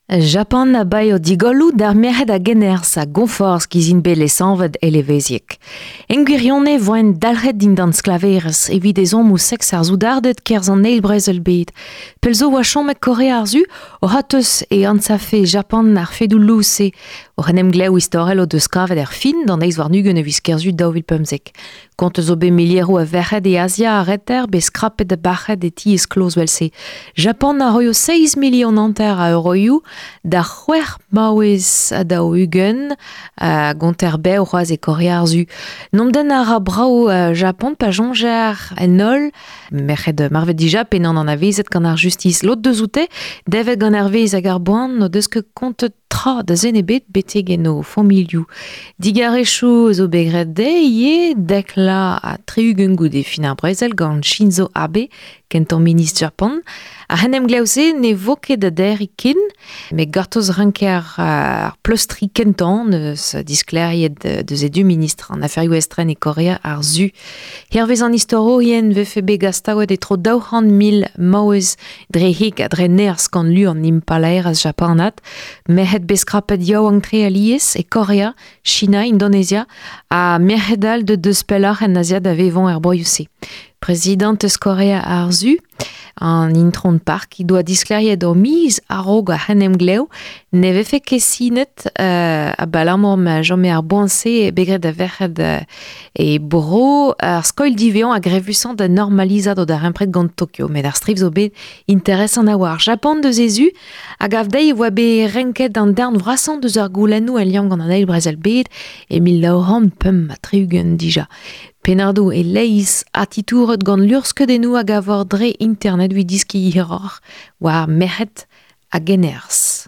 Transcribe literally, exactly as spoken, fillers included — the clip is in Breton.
Japan a baio digolloù d'ar merc'hed a generz a gonforz gizin bet lesanvet eleveziek. En gwirionez voen dalc'het dindan sklaverezh evit ezhommoù seks ar soudarded kerzh an eil brezel bed. Pell zo oa chomet Korea ar Su o c'hortoz e anzafe Japan ar fedoù lous-se oc'h en em glev istorel o deus kavet er fin d'an eizh warn-ugent e viz Kerzu daou vil pemzek. Kont zo bet milieroù a verc'hed e Azia ar reter bet skrapet da bac'het e ti eskloz vel-se. Japan a roio seizh milion hanter a euroioù da c'hwec'h maouez ha daou ugent a gonter bev c'hoazh e Korea ar Su. N'omp den a ra brav uh, Japan pa soñjer en holl merc'hed marvet dija pe n'an anavezet gant ar justiz. Lod deus oute, devet gant ar vez hag ar boan n'o deus ket kontet tra da zen ebet betek en o familhoù. Digarezhioù zo bet graet dezhe ivez dek la ha tri-ugent goude fin ar brezel gant Shinzo Abe, kentañ ministr Japan. Ar c'henemglev-se ne vo ket da derriñ ken, met gortoz ranker ar pleustriñ kentañ neus disklêriet deus e du ministr an aferioù estren e Korea ar Su. Hervez an istorourien vefe bet gastaouet e tro daou c'hant mil maouez dre heg ha dre nerzh gant lu an impalaerezh japanat, merc'hed bet skrapet yaouank-tre alies e Korea, China, Indonezia ha merc'hed all deut deus pelloc'h en Azia da vevañ er broioù-se. Prezidant eus Korea ar Su, an intron Park, he doa disklêriet ur miz a-raok ar c'henemglev ne vefe ket sinet euh, abalamour ma chome ar boan-se bet graet da verc'hed euh, e bro ar skoilh divezañ a grevusañ da normalizat o darempred gant Tokyo. Met ar striv zo bet interesant a-walc'h. Japan deus e zu a gav dezhi e oa bet renket an darn vrasañ deus ar goulennoù el liamm gant an eil brezel bed e mil nav c'hant pemp ha tri-ugent dija. Pennadoù e leizh ha titouret gant luc'hskeudennoù a gavor dre internet evit deskiñ hiroc'h war merc'hed a generzh.